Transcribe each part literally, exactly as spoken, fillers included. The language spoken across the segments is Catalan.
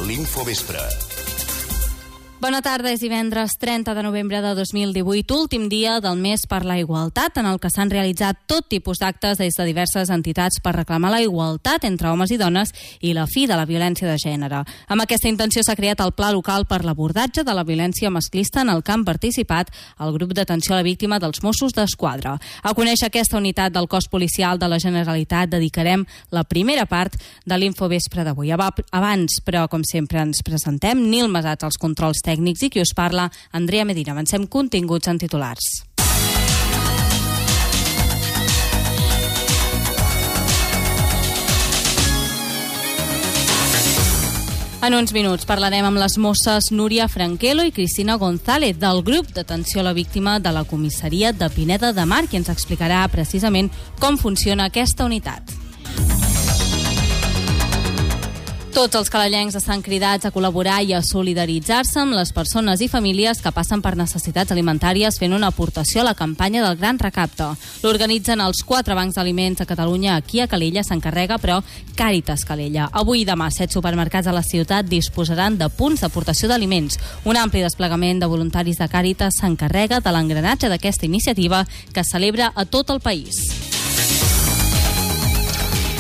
l'Infovespre. Bona tarda, és divendres trenta de novembre de dos mil divuit, últim dia del mes per la igualtat, en el que s'han realitzat tot tipus d'actes des de diverses entitats per reclamar la igualtat entre homes i dones i la fi de la violència de gènere. Amb aquesta intenció s'ha creat el Pla Local per l'abordatge de la violència masclista en el que han participat el grup d'atenció a la víctima dels Mossos d'Esquadra. A conèixer aquesta unitat del cos policial de la Generalitat dedicarem la primera part de l'Infovespre d'avui. Abans, però, com sempre, ens presentem. Nil Masats als controls tècnics i qui us parla, Andrea Medina. Avancem continguts en titulars. En uns minuts parlarem amb les mosses Núria Franquelo i Cristina González del grup d'atenció a la víctima de la comissaria de Pineda de Mar, qui ens explicarà precisament com funciona aquesta unitat. Tots els calellencs estan cridats a col·laborar i a solidaritzar-se amb les persones i famílies que passen per necessitats alimentàries fent una aportació a la campanya del Gran Recapte. L'organitzen els quatre bancs d'aliments a Catalunya. Aquí a Calella s'encarrega, però, Càritas Calella. Avui i demà, set supermercats a la ciutat disposaran de punts d'aportació d'aliments. Un ampli desplegament de voluntaris de Càritas s'encarrega de l'engranatge d'aquesta iniciativa que es celebra a tot el país.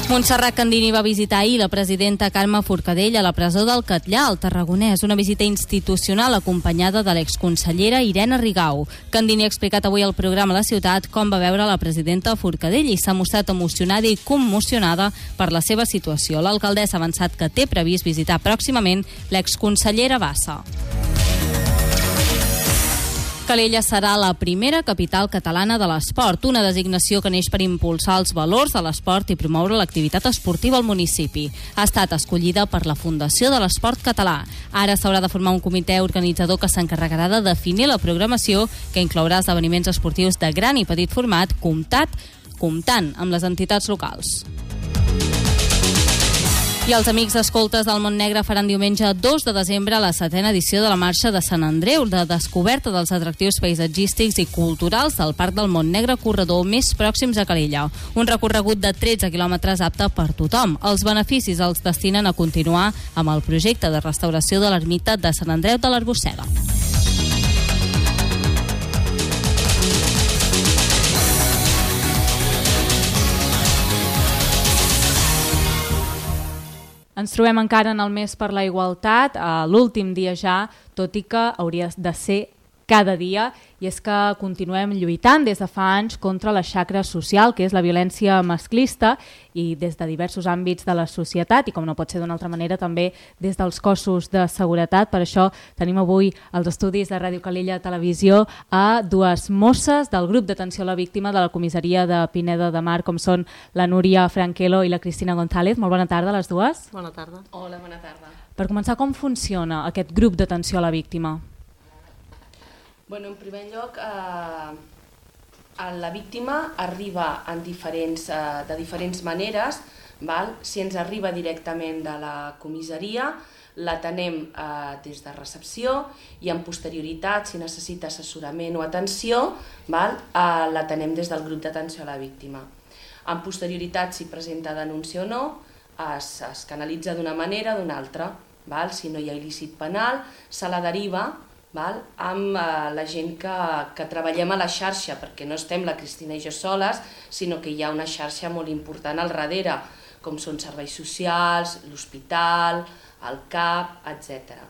Montserrat Candini va visitar ahir la presidenta Carme Forcadell a la presó del Catllar, al Tarragonès, una visita institucional acompanyada de l'exconsellera Irene Rigau. Candini ha explicat avui al programa La Ciutat com va veure la presidenta Forcadell i s'ha mostrat emocionada i commocionada per la seva situació. L'alcaldessa ha avançat que té previst visitar pròximament l'exconsellera Bassa. Calella serà la primera capital catalana de l'esport, una designació que neix per impulsar els valors de l'esport i promoure l'activitat esportiva al municipi. Ha estat escollida per la Fundació de l'Esport Català. Ara s'haurà de formar un comitè organitzador que s'encarregarà de definir la programació, que inclourà esdeveniments esportius de gran i petit format, comptat, comptant amb les entitats locals. I els amics escoltes del Montnegre faran diumenge dos de desembre la setena edició de la Marxa de Sant Andreu, de descoberta dels atractius paisatgístics i culturals del Parc del Montnegre, corredor més pròxims a Calella. Un recorregut de tretze quilòmetres apte per tothom. Els beneficis els destinen a continuar amb el projecte de restauració de l'ermita de Sant Andreu de l'Arbossega. Ens trobem encara en el mes per la igualtat, a l'últim dia ja, tot i que hauria de ser cada dia, i és que continuem lluitant des de fa anys contra la xacra social, que és la violència masclista, i des de diversos àmbits de la societat, i com no pot ser d'una altra manera, també des dels cossos de seguretat. Per això tenim avui als estudis de Ràdio Calella Televisió a dues mosses del grup d'atenció a la víctima de la comissaria de Pineda de Mar, com són la Núria Franquelo i la Cristina González. Molt bona tarda a les dues. Bona tarda. Hola, bona tarda. Per començar, com funciona aquest grup d'atenció a la víctima? Bueno, en primer lloc, eh, la víctima arriba en diferents, eh, de diferents maneres. Val? Si ens arriba directament de la comissaria, l'atenem eh, des de recepció i en posterioritat, si necessita assessorament o atenció, val? Eh, l'atenem des del grup d'atenció a la víctima. En posterioritat, si presenta denúncia o no, es, es canalitza d'una manera o d'una altra. Val? Si no hi ha il·lícit penal, se la deriva Val? amb eh, la gent que, que treballem a la xarxa, perquè no estem la Cristina i jo soles, sinó que hi ha una xarxa molt important al darrere, com són serveis socials, l'hospital, el C A P, etcètera.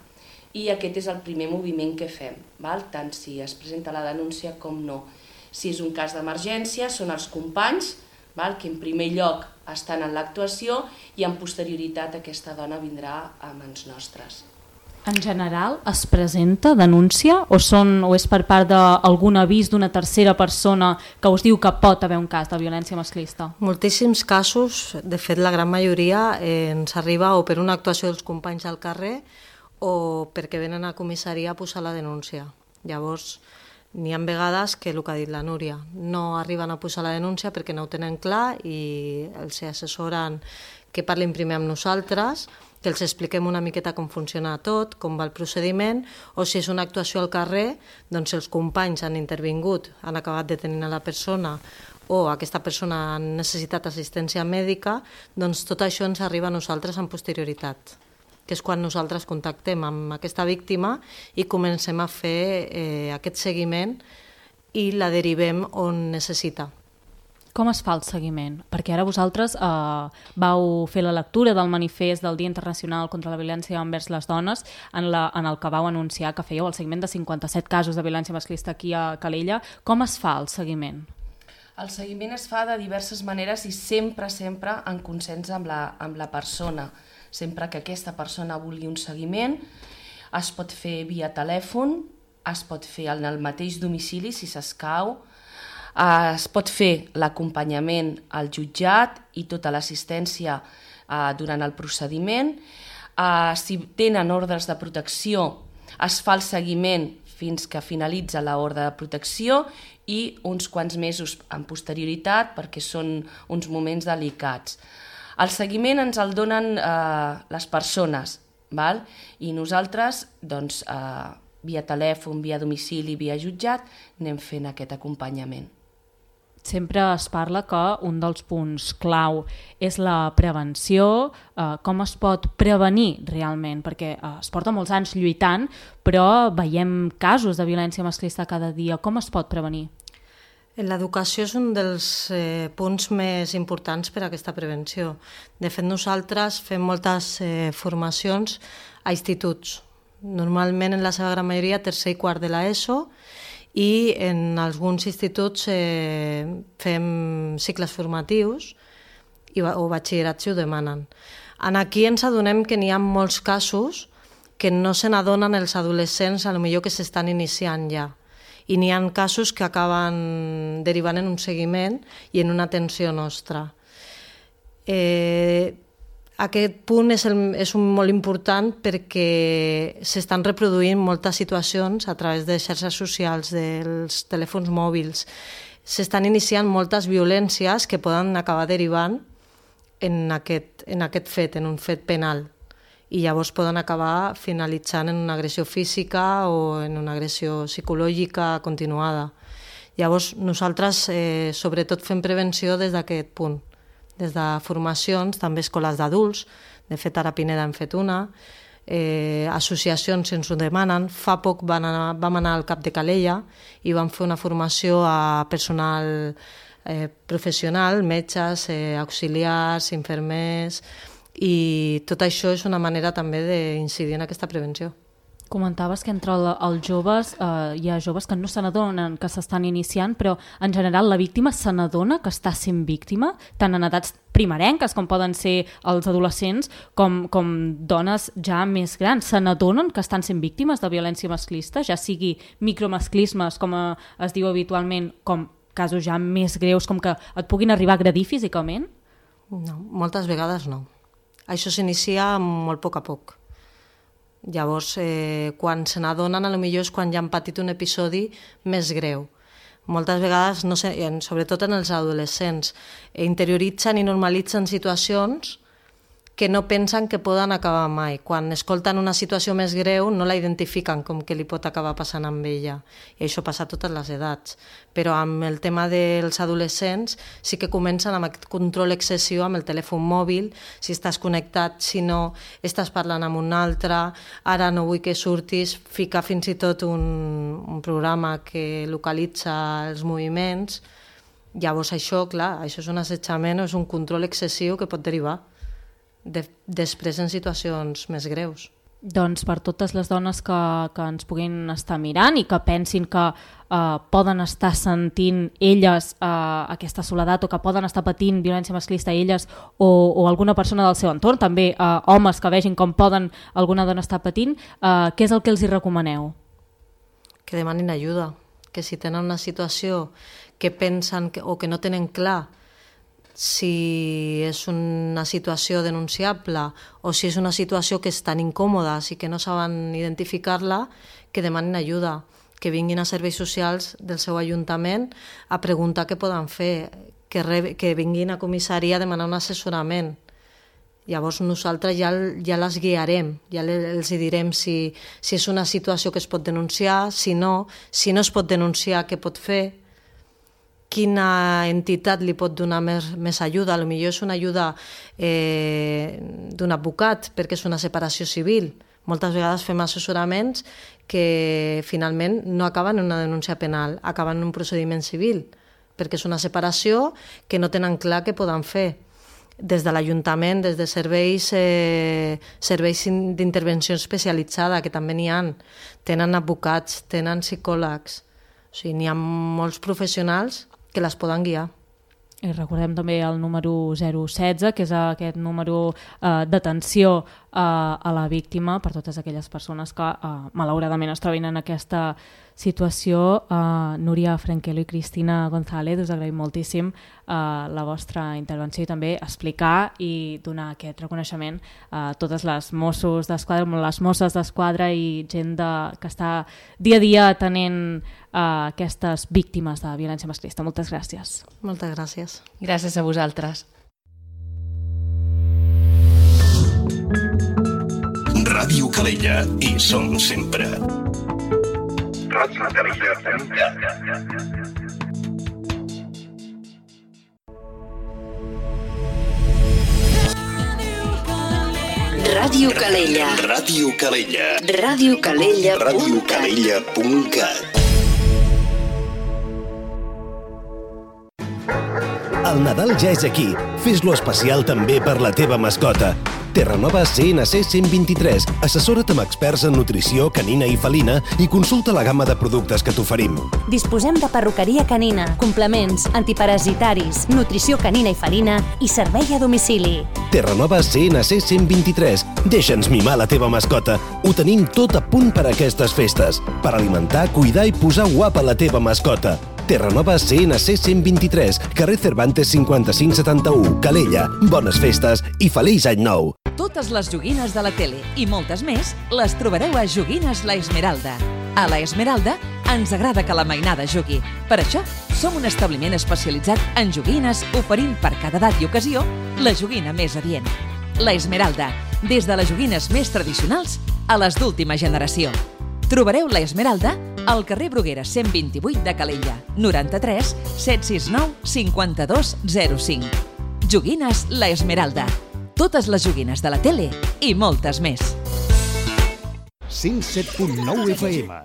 I aquest és el primer moviment que fem, val? Tant si es presenta la denúncia com no. Si és un cas d'emergència, són els companys, val? Que en primer lloc estan en l'actuació i en posterioritat aquesta dona vindrà a mans nostres. En general, es presenta denúncia o, són, o és per part d'algun avís d'una tercera persona que us diu que pot haver un cas de violència masclista? Moltíssims casos, de fet la gran majoria, eh, ens arriba o per una actuació dels companys al carrer o perquè venen a comissaria a posar la denúncia. Llavors, n'hi ha vegades que el que ha dit la Núria, no arriben a posar la denúncia perquè no ho tenen clar i els assessoren que parlin primer amb nosaltres, que els expliquem una miqueta com funciona tot, com va el procediment, o si és una actuació al carrer, doncs els companys han intervingut, han acabat detenint a la persona o aquesta persona ha necessitat assistència mèdica, doncs tot això ens arriba a nosaltres amb posterioritat. que és quan nosaltres contactem amb aquesta víctima i comencem a fer eh, aquest seguiment i la derivem on necessita. Com es fa el seguiment? Perquè ara vosaltres eh, vau fer la lectura del manifest del Dia Internacional contra la Violència envers les Dones en, la, en el que vau anunciar que fèieu el seguiment de cinquanta-set casos de violència masclista aquí a Calella. Com es fa el seguiment? El seguiment es fa de diverses maneres i sempre, sempre en consens amb la, amb la persona. Sempre que aquesta persona vulgui un seguiment, es pot fer via telèfon, es pot fer en el mateix domicili si s'escau, es pot fer l'acompanyament al jutjat i tota l'assistència eh, durant el procediment. Eh, si tenen ordres de protecció, es fa el seguiment fins que finalitza l'ordre de protecció i uns quants mesos en posterioritat perquè són uns moments delicats. El seguiment ens el donen eh, les persones, val? I nosaltres, doncs, eh, via telèfon, via domicili, via jutjat, anem fent aquest acompanyament. Sempre es parla que un dels punts clau és la prevenció, eh, com es pot prevenir realment, perquè eh, es porta molts anys lluitant, però veiem casos de violència masclista cada dia. Com es pot prevenir? L'educació és un dels eh, punts més importants per a aquesta prevenció. De fet, nosaltres fem moltes eh, formacions a instituts, normalment en la seva gran majoria tercer i quart de l'ESO, i en alguns instituts eh, fem cicles formatius i, o batxillerats si ho demanen. En aquí ens adonem que n'hi ha molts casos que no se n'adonen els adolescents, a lo millor que s'estan iniciant ja. I n'hi ha casos que acaben derivant en un seguiment i en una atenció nostra. Eh, Aquest punt és, el, és un molt important perquè s'estan reproduint moltes situacions a través de xarxes socials, dels telèfons mòbils. S'estan iniciant moltes violències que poden acabar derivant en aquest, en aquest fet, en un fet penal. I llavors poden acabar finalitzant en una agressió física o en una agressió psicològica continuada. Llavors nosaltres eh, sobretot fem prevenció des d'aquest punt. Des de formacions, també escoles d'adults, de fet ara a Pineda hem fet una, eh, associacions ens ho demanen. Fa poc van anar, vam anar al Cap de Calella i vam fer una formació a personal eh, professional, metges, eh, auxiliars, infermers, i tot això és una manera també d'incidir en aquesta prevenció. Comentaves que entre els joves eh, hi ha joves que no se n'adonen que s'estan iniciant, però en general la víctima se n'adona que està sent víctima, tant en edats primerenques com poden ser els adolescents, com, com dones ja més grans. Se n'adonen que estan sent víctimes de violència masclista, ja sigui micromasclismes, com es diu habitualment, com casos ja més greus, com que et puguin arribar a agredir físicament? No, moltes vegades no. Això s'inicia molt a poc a poc. Llavors, eh, quan se n'adonen, potser és quan ja han patit un episodi més greu. Moltes vegades, no sé, sobretot en els adolescents, interioritzen i normalitzen situacions que no pensen que poden acabar mai. Quan escolten una situació més greu no la identifiquen com que li pot acabar passant amb ella. I això passa a totes les edats. Però amb el tema dels adolescents sí que comencen amb aquest control excessiu amb el telèfon mòbil, si estàs connectat, si no, estàs parlant amb un altre, ara no vull que surtis, ficar fins i tot un, un programa que localitza els moviments. Llavors això, clar, això és un assetjament o és un control excessiu que pot derivar De, després en situacions més greus. Doncs per totes les dones que, que ens puguin estar mirant i que pensin que eh, poden estar sentint elles eh, aquesta soledat o que poden estar patint violència masclista elles o, o alguna persona del seu entorn, també eh, homes que vegin com poden alguna dona estar patint, eh, què és el que els hi recomaneu? Que demanin ajuda, que si tenen una situació que pensen que, o que no tenen clar si és una situació denunciable o si és una situació que és tan incòmoda i que no saben identificar-la, que demanin ajuda, que vinguin a serveis socials del seu ajuntament a preguntar què poden fer, que, re, que vinguin a comissaria a demanar un assessorament. Llavors nosaltres ja, ja les guiarem, ja els direm si, si és una situació que es pot denunciar, si no, si no es pot denunciar, què pot fer, quina entitat li pot donar més, més ajuda. Potser és una ajuda eh, d'un advocat, perquè és una separació civil. Moltes vegades fem assessoraments que finalment no acaben en una denúncia penal, acaben en un procediment civil, perquè és una separació que no tenen clar què poden fer. Des de l'Ajuntament, des de serveis, eh, serveis d'intervenció especialitzada, que també n'hi ha, tenen advocats, tenen psicòlegs, o sigui, n'hi ha molts professionals que les poden guiar. I recordem també el número zero setze, que és aquest número eh, d'atenció eh, a la víctima per totes aquelles persones que eh, malauradament es trobin en aquesta situació. Eh, Núria Franquelo i Cristina González, us agraïm moltíssim eh, la vostra intervenció i també explicar i donar aquest reconeixement a totes les Mossos d'Esquadra, les Mosses d'Esquadra i gent de, que està dia a dia atenent eh, aquestes víctimes de violència masclista. Moltes gràcies. Moltes gràcies. Gràcies a vosaltres. Ràdio Calella, hi som sempre. Ràdio Calella. Ràdio Calella. Ràdio Calella. Ràdio Calella. Ràdio Calella punt cat. El Nadal ja és aquí. Fes-lo especial també per la teva mascota. Terranova C N C cent vint-i-tres. Assessora't amb experts en nutrició canina i felina i consulta la gamma de productes que t'oferim. Disposem de perruqueria canina, complements, antiparasitaris, nutrició canina i felina i servei a domicili. Terranova C N C cent vint-i-tres. Deixa'ns mimar la teva mascota. Ho tenim tot a punt per a aquestes festes. Per alimentar, cuidar i posar guapa la teva mascota. Terranova C N C cent vint-i-tres, carrer Cervantes cinquanta-cinc setanta-u, Calella. Bones festes i feliç any nou! Totes les joguines de la tele i moltes més les trobareu a Joguines La Esmeralda. A La Esmeralda ens agrada que la mainada jugui. Per això, som un establiment especialitzat en joguines, oferint per cada edat i ocasió la joguina més adient. La Esmeralda, des de les joguines més tradicionals a les d'última generació. Trobareu La Esmeralda al carrer Bruguera cent vint-i-vuit de Calella, noranta-tres set sis nou cinquanta-dos zero cinc. Joguines La Esmeralda. Totes les joguines de la tele i moltes més. cent set punt nou F M.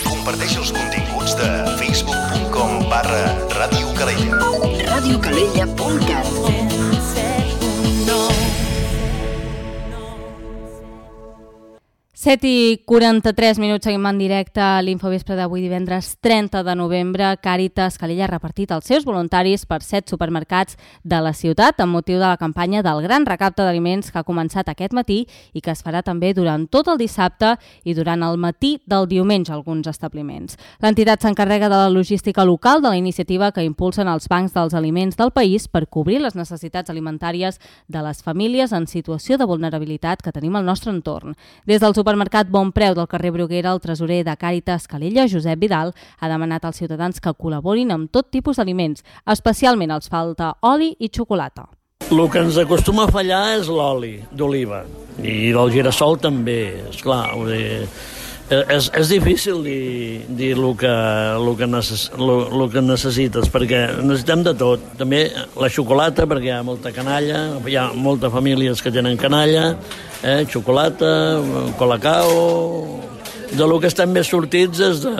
Comparteix els continguts de facebook punt com barra Ràdio Calella. Ràdio Calella punt cat. set i quaranta-tres minuts, seguim en directe a l'Infovespre d'avui divendres trenta de novembre. Càritas Calella ha repartit els seus voluntaris per set supermercats de la ciutat amb motiu de la campanya del gran recapte d'aliments que ha començat aquest matí i que es farà també durant tot el dissabte i durant el matí del diumenge a alguns establiments. L'entitat s'encarrega de la logística local de la iniciativa que impulsen els bancs dels aliments del país per cobrir les necessitats alimentàries de les famílies en situació de vulnerabilitat que tenim al nostre entorn. Des del supermercat Supermercat Bon Preu del carrer Bruguera, el tresorer de Càritas Calella, Josep Vidal, ha demanat als ciutadans que col·laborin amb tot tipus d'aliments, especialment els falta oli i xocolata. El que ens acostuma a fallar és l'oli d'oliva i del girassol també, esclar. És, és difícil dir, dir el, que, el, que necess, el, el que necessites, perquè necessitem de tot. També la xocolata, perquè hi ha molta canalla, hi ha moltes famílies que tenen canalla, eh, xocolata, colacao... De lo que estem més sortits és de,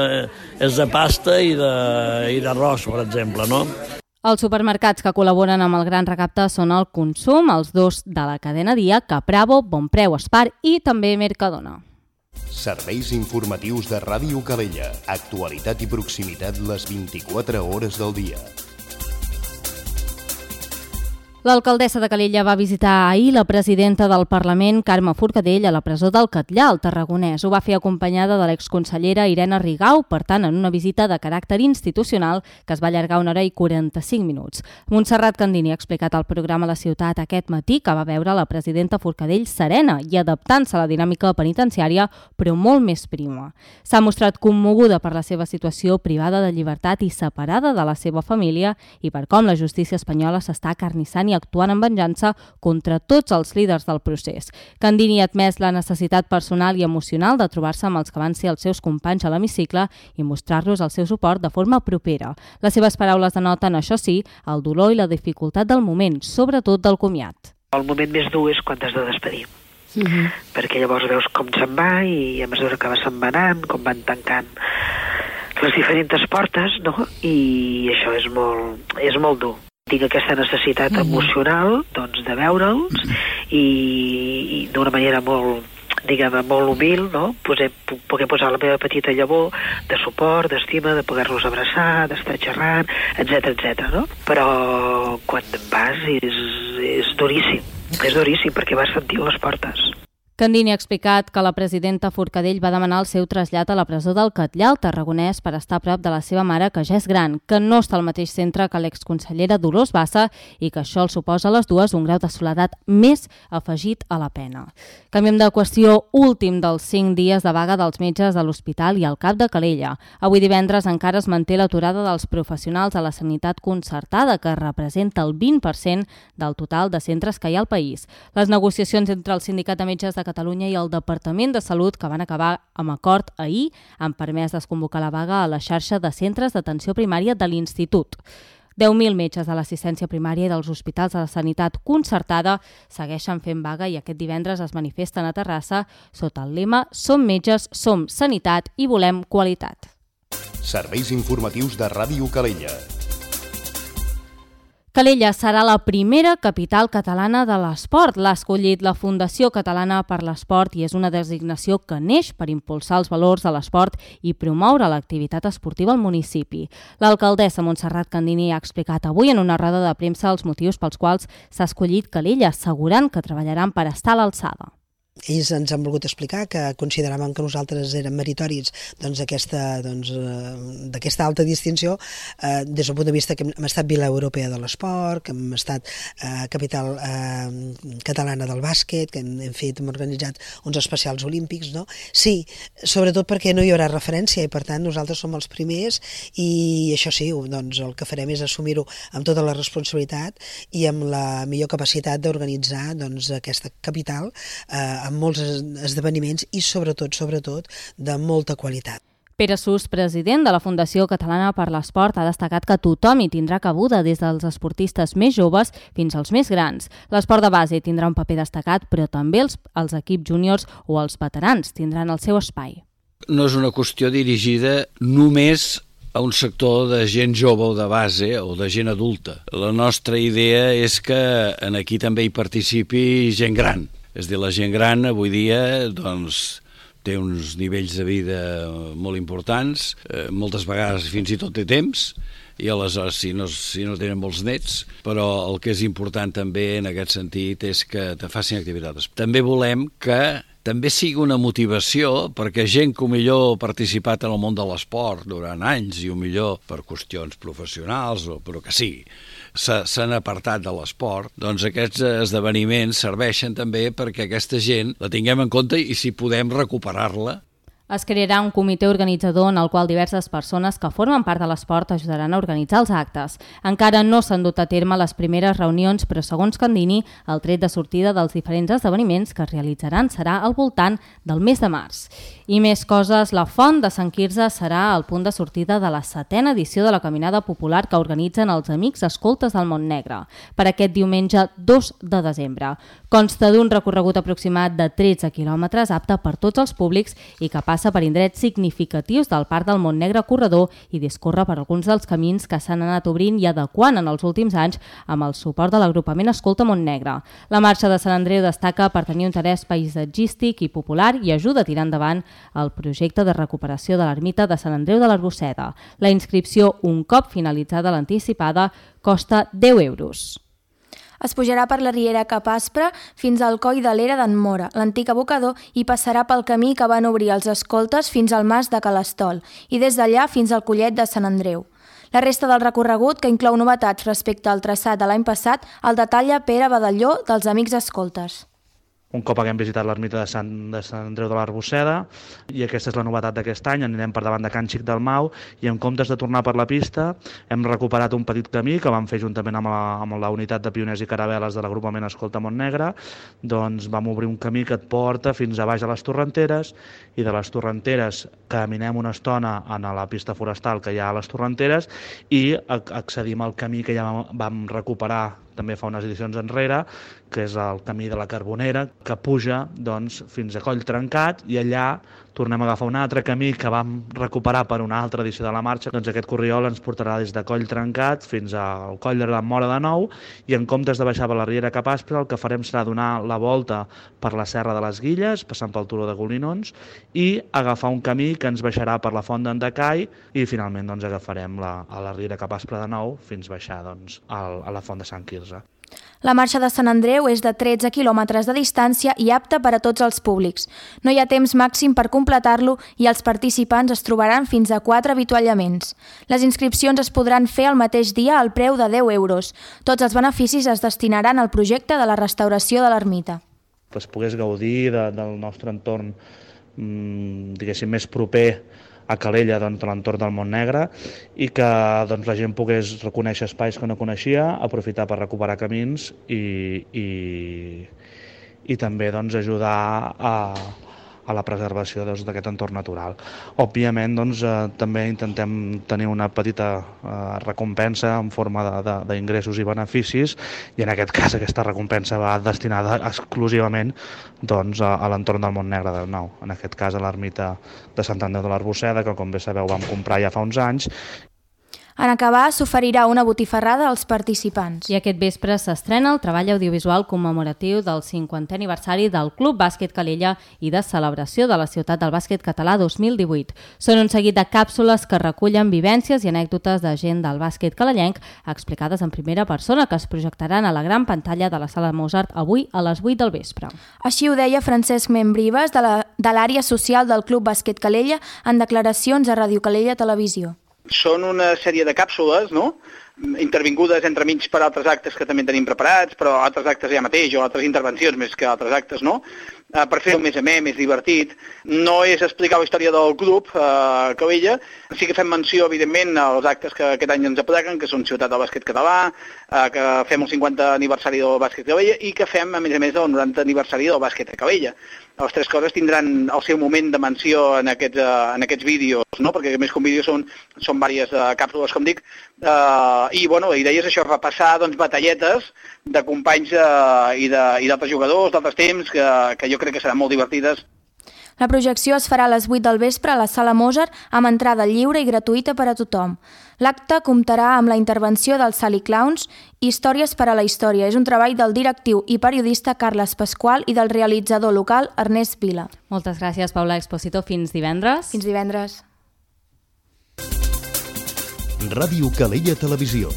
és de pasta i d'arròs, per exemple, no? Els supermercats que col·laboren amb el Gran Recapte són el Consum, els dos de la cadena Dia, Capravo, Bon Preu, Espar i també Mercadona. Serveis informatius de Ràdio Calella. Actualitat i proximitat les vint-i-quatre hores del dia. L'alcaldessa de Calella va visitar ahir la presidenta del Parlament, Carme Forcadell, a la presó del Catllar, al Tarragonès. Ho va fer acompanyada de l'exconsellera Irene Rigau, per tant, en una visita de caràcter institucional que es va allargar una hora i quaranta-cinc minuts. Montserrat Candini ha explicat al programa La Ciutat aquest matí que va veure la presidenta Forcadell serena i adaptant-se a la dinàmica penitenciària, però molt més prima. S'ha mostrat commoguda per la seva situació privada de llibertat i separada de la seva família i per com la justícia espanyola s'està acarnissant i actuant en venjança contra tots els líders del procés. Candini ha admès la necessitat personal i emocional de trobar-se amb els que van ser els seus companys a l'hemicicle i mostrar-los el seu suport de forma propera. Les seves paraules denoten, això sí, el dolor i la dificultat del moment, sobretot del comiat. El moment més dur és quan t'has de despedir. Uh-huh. Perquè llavors veus com se'n va i a mesura que va se'n va anant, com van tancant les diferents portes, no? I això és molt, és molt dur. Tinc aquesta necessitat uh-huh. emocional, doncs, de veure'ls uh-huh. i, i d'una manera molt, diguem, molt humil, no? Poder, poder posar la meva petita llavor de suport, d'estima, de poder-los abraçar, d'estar xerrant, etcètera, etcètera, no? Però quan te'n vas és, és duríssim. És duríssim perquè vas sentir les portes. Candini ha explicat que la presidenta Forcadell va demanar el seu trasllat a la presó del Catllar, al Tarragonès, per estar a prop de la seva mare, que ja és gran, que no està al mateix centre que l'exconsellera Dolors Bassa i que això el suposa a les dues un grau de soledat més afegit a la pena. Canviem de qüestió. Últim dels cinc dies de vaga dels metges de l'Hospital i al Cap de Calella. Avui divendres encara es manté l'aturada dels professionals a la sanitat concertada, que representa el vint per cent del total de centres que hi ha al país. Les negociacions entre el Sindicat de Metges de Catalunya i el Departament de Salut, que van acabar amb acord ahir, han permès desconvocar la vaga a la xarxa de centres d'atenció primària de l'Institut. deu mil metges de l'assistència primària i dels hospitals de la sanitat concertada segueixen fent vaga i aquest divendres es manifesten a Terrassa sota el lema Som metges, som sanitat i volem qualitat. Serveis informatius de Ràdio Calella. Calella serà la primera capital catalana de l'esport. L'ha escollit la Fundació Catalana per l'Esport i és una designació que neix per impulsar els valors de l'esport i promoure l'activitat esportiva al municipi. L'alcaldessa Montserrat Candini ha explicat avui en una roda de premsa els motius pels quals s'ha escollit Calella, assegurant que treballaran per estar a l'alçada. Ells ens han volgut explicar que consideraven que nosaltres érem meritoris doncs, d'aquesta doncs, d'aquesta alta distinció eh, des del punt de vista que hem estat Vila Europea de l'Esport, que hem estat eh, capital eh, catalana del bàsquet, que hem, hem fet, hem organitzat uns especials olímpics, no? Sí, sobretot perquè no hi haurà referència i per tant nosaltres som els primers i això sí, doncs, el que farem és assumir-ho amb tota la responsabilitat i amb la millor capacitat d'organitzar doncs, aquesta capital eh, amb molts esdeveniments i sobretot, sobretot, de molta qualitat. Pere Sus, president de la Fundació Catalana per l'Esport, ha destacat que tothom hi tindrà cabuda, des dels esportistes més joves fins als més grans. L'esport de base tindrà un paper destacat, però també els, els equips júniors o els veterans tindran el seu espai. No és una qüestió dirigida només a un sector de gent jove o de base o de gent adulta. La nostra idea és que en aquí també hi participi gent gran. És a dir, la gent gran avui dia doncs, té uns nivells de vida molt importants, eh, moltes vegades fins i tot té temps, i aleshores si no, si no tenen molts nets, però el que és important també en aquest sentit és que te facin activitats. També volem que també sigui una motivació perquè gent que millor ha participat en el món de l'esport durant anys i millor per qüestions professionals, o però que sí, s'han apartat de l'esport, doncs aquests esdeveniments serveixen també perquè aquesta gent la tinguem en compte i si podem recuperar-la. Es crearà un comitè organitzador en el qual diverses persones que formen part de l'esport ajudaran a organitzar els actes. Encara no s'han dut a terme les primeres reunions, però segons Candini, el tret de sortida dels diferents esdeveniments que es realitzaran serà al voltant del mes de març. I més coses, la Font de Sant Quirze serà el punt de sortida de la setena edició de la Caminada Popular que organitzen els Amics Escoltes del Montnegre per aquest diumenge dos de desembre. Consta d'un recorregut aproximat de tretze quilòmetres apte per tots els públics i que passa per indrets significatius del Parc del Montnegre Corredor i discorre per alguns dels camins que s'han anat obrint i adequant en els últims anys amb el suport de l'agrupament Escolta Montnegre. La marxa de Sant Andreu destaca per tenir un interès paisatgístic i popular i ajuda a tirar endavant el projecte de recuperació de l'ermita de Sant Andreu de l'Arbosseda. La inscripció, un cop finalitzada l'anticipada, costa deu euros. Es pujarà per la riera Cap Aspre fins al coll de l'Era d'en Mora, l'antic abocador, i passarà pel camí que van obrir els escoltes fins al mas de Calastol i des d'allà fins al collet de Sant Andreu. La resta del recorregut, que inclou novetats respecte al traçat de l'any passat, el detalla Pere Badalló dels Amics Escoltes. Un cop haguem visitat l'ermita de Sant, de Sant Andreu de l'Arbosseda, i aquesta és la novetat d'aquest any, anirem per davant de Can Xic del Mau i en comptes de tornar per la pista hem recuperat un petit camí que vam fer juntament amb la, amb la unitat de pioners i caravel·les de l'agrupament Escolta Montnegre. Doncs vam obrir un camí que et porta fins a baix a les Torrenteres i de les Torrenteres caminem una estona a la pista forestal que hi ha a les Torrenteres i accedim al camí que ja vam recuperar també fa unes edicions enrere, que és el camí de la Carbonera, que puja doncs, fins a Coll Trencat, i allà tornem a agafar un altre camí que vam recuperar per una altra edició de la marxa. Doncs aquest corriol ens portarà des de Coll Trencat fins al Coll de la Mora de nou, i en comptes de baixar per la Riera cap Aspre, el que farem serà donar la volta per la Serra de les Guilles, passant pel turó de Golinons, i agafar un camí que ens baixarà per la Font d'Endacai, i finalment doncs, agafarem la, a la Riera cap Aspre de nou fins baixar doncs, al, a la Font de Sant Quirze. La marxa de Sant Andreu és de tretze quilòmetres de distància i apta per a tots els públics. No hi ha temps màxim per completar-lo i els participants es trobaran fins a quatre avituallaments. Les inscripcions es podran fer el mateix dia al preu de deu euros. Tots els beneficis es destinaran al projecte de la restauració de l'ermita. Que es pogués gaudir de, del nostre entorn, mmm, diguéssim, més proper a Calella, doncs, de l'entorn del Montnegre, i que doncs, la gent pogués reconèixer espais que no coneixia, aprofitar per recuperar camins i, i, i també doncs, ajudar a, a la preservació doncs, d'aquest entorn natural. Òbviament, doncs, eh, també intentem tenir una petita eh, recompensa en forma d'ingressos i beneficis, i en aquest cas aquesta recompensa va destinada exclusivament doncs, a, a l'entorn del Montnegre del Nou, en aquest cas a l'ermita de Sant Andreu de l'Arboçeda, que com bé sabeu vam comprar ja fa uns anys. En acabar, s'oferirà una botifarrada als participants. I aquest vespre s'estrena el treball audiovisual commemoratiu del cinquantè aniversari del Club Bàsquet Calella i de celebració de la Ciutat del Bàsquet Català dos mil divuit. Són un seguit de càpsules que recullen vivències i anècdotes de gent del bàsquet calellenc explicades en primera persona, que es projectaran a la gran pantalla de la Sala Mozart avui a les vuit del vespre. Així ho deia Francesc Membrives, de l'àrea social del Club Bàsquet Calella, en declaracions a Ràdio Calella Televisió. Són una sèrie de càpsules, no?, intervingudes entremig per altres actes que també tenim preparats, però altres actes ja mateix, o altres intervencions més que altres actes, no?, uh, per fer-ho més amè, més divertit. No és explicar la història del club uh, Calella, sí que fem menció, evidentment, als actes que aquest any ens apleguen, que són Ciutat del Bàsquet Català, uh, que fem el cinquantè aniversari del Bàsquet Calella i que fem, a més a més, el norantè aniversari del Bàsquet a Calella. Les tres coses tindran el seu moment de menció en aquests, uh, en aquests vídeos, no?, perquè més que un vídeo són, són diverses uh, càpsules, com dic, uh, i bueno, la idea és això, repassar doncs, batalletes de companys uh, i d'altres jugadors, d'altres temps, que, que jo crec que seran molt divertides. La projecció es farà a les vuit del vespre a la Sala Mozart amb entrada lliure i gratuïta per a tothom. L'acte comptarà amb la intervenció dels Sally Clowns, Històries per a la història. És un treball del directiu i periodista Carles Pasqual i del realitzador local Ernest Vila. Moltes gràcies, Paula Exposito. Fins divendres. Fins divendres. Ràdio Calella Televisió,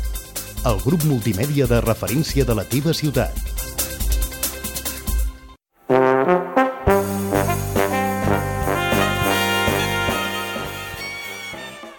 el grup multimèdia de referència de la teva ciutat.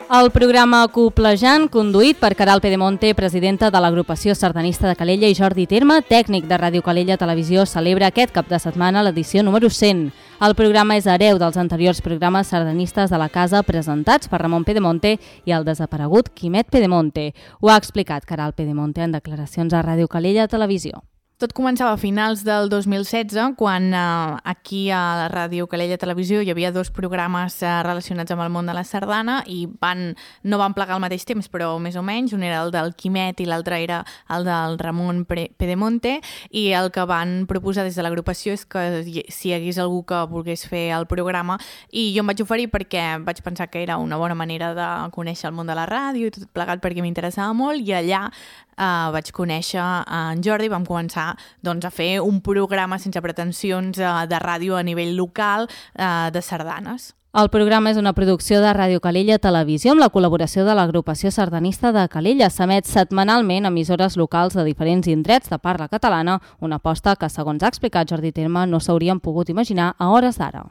El programa Coplejant, conduït per Caral Pedemonte, presidenta de l'agrupació sardanista de Calella, i Jordi Terme, tècnic de Ràdio Calella Televisió, celebra aquest cap de setmana l'edició número cent. El programa és hereu dels anteriors programes sardanistes de la casa presentats per Ramon Pedemonte i el desaparegut Quimet Pedemonte. Ho ha explicat Caral Pedemonte en declaracions a Ràdio Calella Televisió. Tot començava a finals del dos mil setze, quan eh, aquí a la Ràdio Calella Televisió hi havia dos programes eh, relacionats amb el món de la sardana i van, no van plegar al mateix temps, però més o menys. Un era el del Quimet i l'altre era el del Ramon Pedemonte, i el que van proposar des de l'agrupació és que si hi hagués algú que volgués fer el programa, i jo em vaig oferir perquè vaig pensar que era una bona manera de conèixer el món de la ràdio i tot plegat perquè m'interessava molt, i allà Uh, vaig conèixer en Jordi, vam començar doncs, a fer un programa sense pretensions uh, de ràdio a nivell local uh, de sardanes. El programa és una producció de Ràdio Calella Televisió amb la col·laboració de l'agrupació sardanista de Calella. S'emet setmanalment a emissores locals de diferents indrets de parla catalana, una aposta que, segons ha explicat Jordi Terme, no s'haurien pogut imaginar a hores d'ara.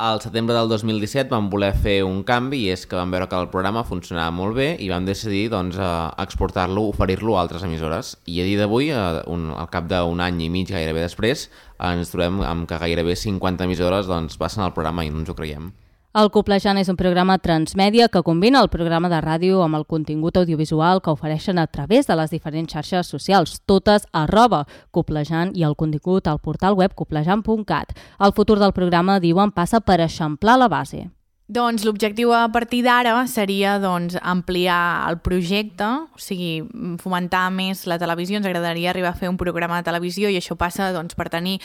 Al setembre del dos mil disset vam voler fer un canvi, i és que vam veure que el programa funcionava molt bé i vam decidir doncs, exportar-lo, oferir-lo a altres emissores. I a dia d'avui, al cap d'un any i mig gairebé després, ens trobem amb que gairebé cinquanta emissores doncs, passen al programa i no ens ho creiem. El Coplejant és un programa transmèdia que combina el programa de ràdio amb el contingut audiovisual que ofereixen a través de les diferents xarxes socials, totes arroba Coplejant, i el contingut al portal web coplejant punt cat. El futur del programa, diuen, passa per eixamplar la base. Doncs l'objectiu a partir d'ara seria doncs, ampliar el projecte, o sigui, fomentar més la televisió. Ens agradaria arribar a fer un programa de televisió i això passa doncs, per tenir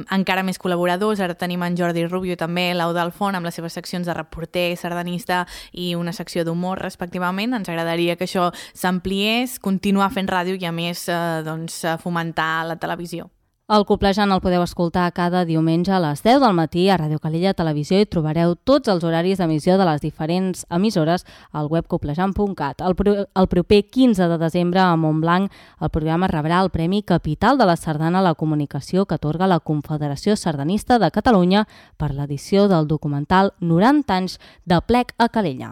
encara més col·laboradors. Ara tenim en Jordi Rubio també, l'Eudald Font, amb les seves seccions de reporter, sardanista i una secció d'humor, respectivament. Ens agradaria que això s'ampliés, continuar fent ràdio i a més eh, doncs, fomentar la televisió. El Coplejant el podeu escoltar cada diumenge a les deu del matí a Ràdio Calella Televisió i trobareu tots els horaris d'emissió de les diferents emissores al web coplejant punt cat. El, pro el proper quinze de desembre a Montblanc el programa rebrà el Premi Capital de la Sardana a la Comunicació que atorga la Confederació Sardanista de Catalunya per l'edició del documental noranta anys de Plec a Calella.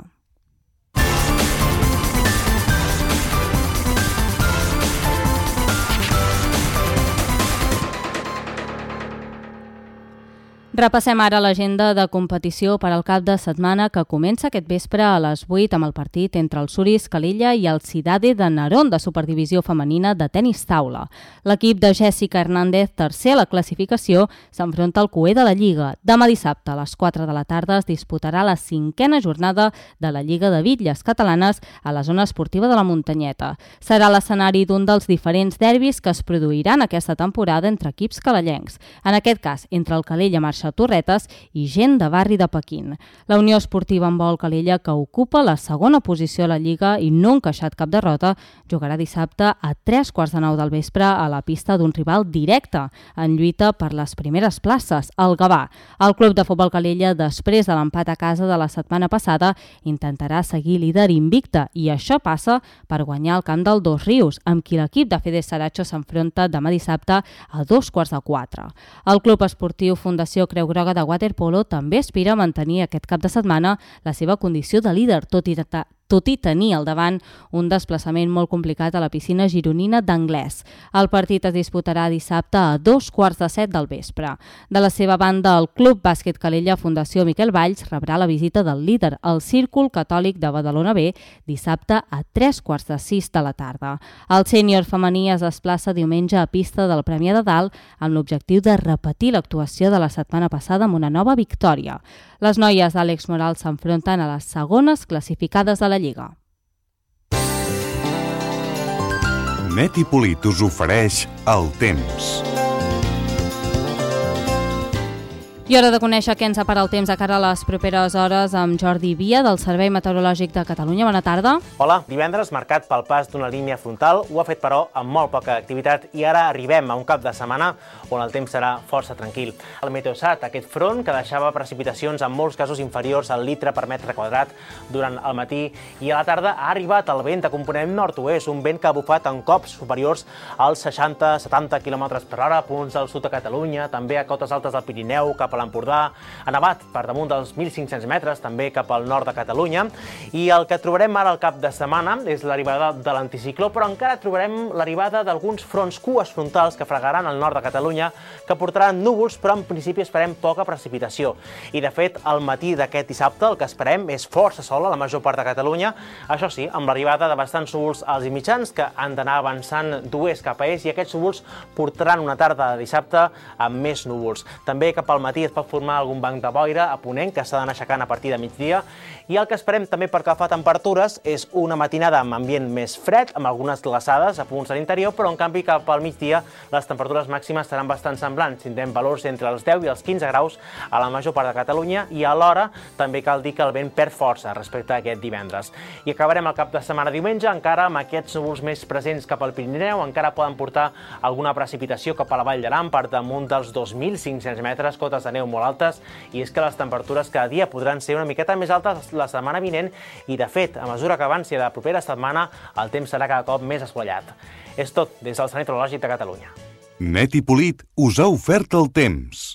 Repassem ara l'agenda de competició per al cap de setmana que comença aquest vespre a les vuit amb el partit entre el Suris Calella i el Cidade de Narón de Superdivisió Femenina de tenis taula. L'equip de Jessica Hernández, tercer a la classificació, s'enfronta al cuer de la Lliga. Demà dissabte a les quatre de la tarda es disputarà la cinquena jornada de la Lliga de Bitlles Catalanes a la zona esportiva de la Muntanyeta. Serà l'escenari d'un dels diferents derbis que es produiran aquesta temporada entre equips calellencs. En aquest cas, entre el Calella Marxa Torretes i gent de barri de Pequín. La Unió Esportiva Handbol Calella, que ocupa la segona posició a la Lliga i no ha encaixat cap derrota, jugarà dissabte a tres quarts de nou del vespre a la pista d'un rival directe en lluita per les primeres places, el Gavà. El Club de Futbol Calella, després de l'empat a casa de la setmana passada, intentarà seguir líder invicte i això passa per guanyar el camp del Dos Rius, amb qui l'equip de Fede Saracho s'enfronta demà dissabte a dos quarts de quatre. El Club Esportiu Fundació Creu Groga de waterpolo també aspira a mantenir aquest cap de setmana la seva condició de líder, tot i tot i tenir al davant un desplaçament molt complicat a la piscina gironina d'Anglès. El partit es disputarà dissabte a dos quarts de set del vespre. De la seva banda, el Club Bàsquet Calella Fundació Miquel Valls rebrà la visita del líder, el Círcul Catòlic de Badalona B, dissabte a tres quarts de sis de la tarda. El sènior femení es desplaça diumenge a pista del Premià de Dalt amb l'objectiu de repetir l'actuació de la setmana passada amb una nova victòria. Les noies d'Àlex Moral s'enfronten a les segones classificades de la Lliga. Net i Polit us ofereix el temps. I hora de conèixer què ens separa el temps de cara a les properes hores amb Jordi Via, del Servei Meteorològic de Catalunya. Bona tarda. Hola. Divendres marcat pel pas d'una línia frontal, ho ha fet però amb molt poca activitat i ara arribem a un cap de setmana on el temps serà força tranquil. El Meteosat, aquest front que deixava precipitacions en molts casos inferiors al litre per metre quadrat durant el matí i a la tarda ha arribat el vent de component nord-oest, un vent que ha bufat en cops superiors als seixanta a setanta quilòmetres per hora a punts del sud de Catalunya, també a cotes altes del Pirineu, cap a l'Empordà, ha nevat per damunt dels mil cinc-cents metres, també cap al nord de Catalunya, i el que trobarem ara al cap de setmana és l'arribada de l'anticicló, però encara trobarem l'arribada d'alguns fronts cues frontals que fregaran al nord de Catalunya, que portaran núvols, però en principi esperem poca precipitació. I de fet, al matí d'aquest dissabte el que esperem és força sol a la major part de Catalunya, això sí, amb l'arribada de bastants núvols als i mitjans que han d'anar avançant d'oest cap a est i aquests núvols portaran una tarda de dissabte amb més núvols. També cap al matí es pot formar algun banc de boira a ponent que s'ha d'anar aixecant a partir de migdia i el que esperem també per que fa temperatures és una matinada amb ambient més fred, amb algunes glaçades a punts de l'interior, però en canvi cap al migdia les temperatures màximes seran bastant semblants. Tindrem valors entre els deu i els quinze graus a la major part de Catalunya i alhora també cal dir que el vent perd força respecte a aquest divendres. I acabarem el cap de setmana diumenge encara amb aquests núvols més presents cap al Pirineu, encara poden portar alguna precipitació cap a la Vall d'Aran per damunt dels dos mil cinc-cents metres, cotes de neu molt altes, i és que les temperatures cada dia podran ser una miqueta més altes la setmana vinent i, de fet, a mesura que avanci de la propera setmana, el temps serà cada cop més assolellat. És tot des del Servei Meteorològic de Catalunya. Net i Polit us ha ofert el temps.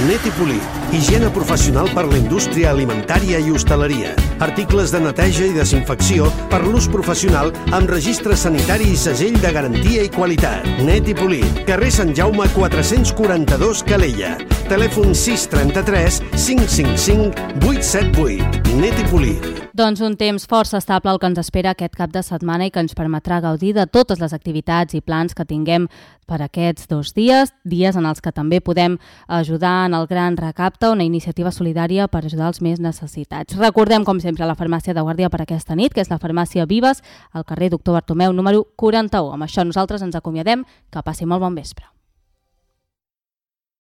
Net i Polit, higiene professional per la indústria alimentària i hostaleria. Articles de neteja i desinfecció per l'ús professional amb registre sanitari i segell de garantia i qualitat. Net i Polit, carrer Sant Jaume quatre-cents quaranta-dos Calella. Telèfon sis trenta-tres cinc cinc cinc vuit set vuit. Net i Polit. Doncs un temps força estable el que ens espera aquest cap de setmana i que ens permetrà gaudir de totes les activitats i plans que tinguem per aquests dos dies, dies en els que també podem ajudar en el Gran Recapte, una iniciativa solidària per ajudar els més necessitats. Recordem, com sempre, la farmàcia de guàrdia per aquesta nit, que és la farmàcia Vives, al carrer Doctor Bartomeu, número quaranta-u. Amb això nosaltres ens acomiadem. Que passi molt bon vespre.